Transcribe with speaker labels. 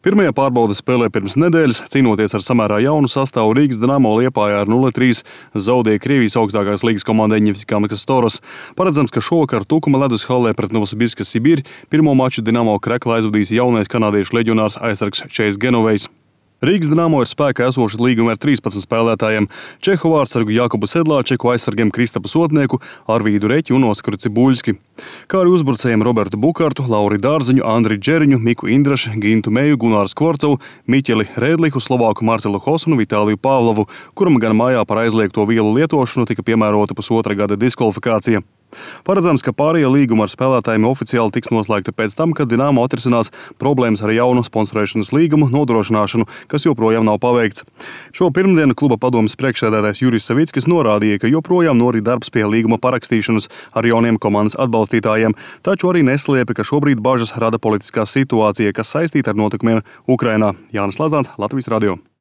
Speaker 1: Pirmajā pārbaudes spēlē pirms nedēļas, cīnoties ar samērā jaunu sastāvu, Rīgas Dinamo Liepājā ar 0-3 zaudēja Krievijas augstākās līgas komandai Ņefķikamkas Toros. Paredzams, ka šovakar Tukuma ledus hallē pret Novosibirska Sibiri pirmo maču Dinamo krekla aizvadīs jaunais kanādiešu leģionārs aizsargs Chase Genovejs. Rīgas Dinamo ir spēkā esoši līgumi ar 13 spēlētājiem - Čehu vārdsargu Jakubu Sedlāčeku, aizsargiem Kristapu Sotnieku, Arvīdu Reķi un Oskaru Cibuļski, kā arī uzbrucējiem Robertu Bukārtu, Lauri Dārziņu, Andri Džeriņu, Miku Indrašu, Gintu Meju, Gunāru Skvorcovu, Miķeli Rēdlihu, Slovāku Marcelu Hosunu, Vitāliju Pāvlovu, kuram gan mājā par aizliegto vielu lietošanu tika piemērota pusotra gada diskvalifikācija. Paredzams, ka pārējie līgumi ar spēlētājiem oficiāli tiks noslēgti pēc tam, kad Dinamo atrisinās problēmas ar jaunu sponsorēšanas līgumu nodrošināšanu, kas joprojām nav paveikts. Šo pirmdienu kluba padomes priekšsēdētājs Jurijs Savickis norādīja, ka joprojām norit darbs pie līguma parakstīšanas ar jauniem komandas atbalstītājiem, taču arī neslēpja, ka šobrīd bažas rada politiskā situācija, kas saistīta ar notikumiem Ukrainā. Jānis Lazāns, Latvijas radio.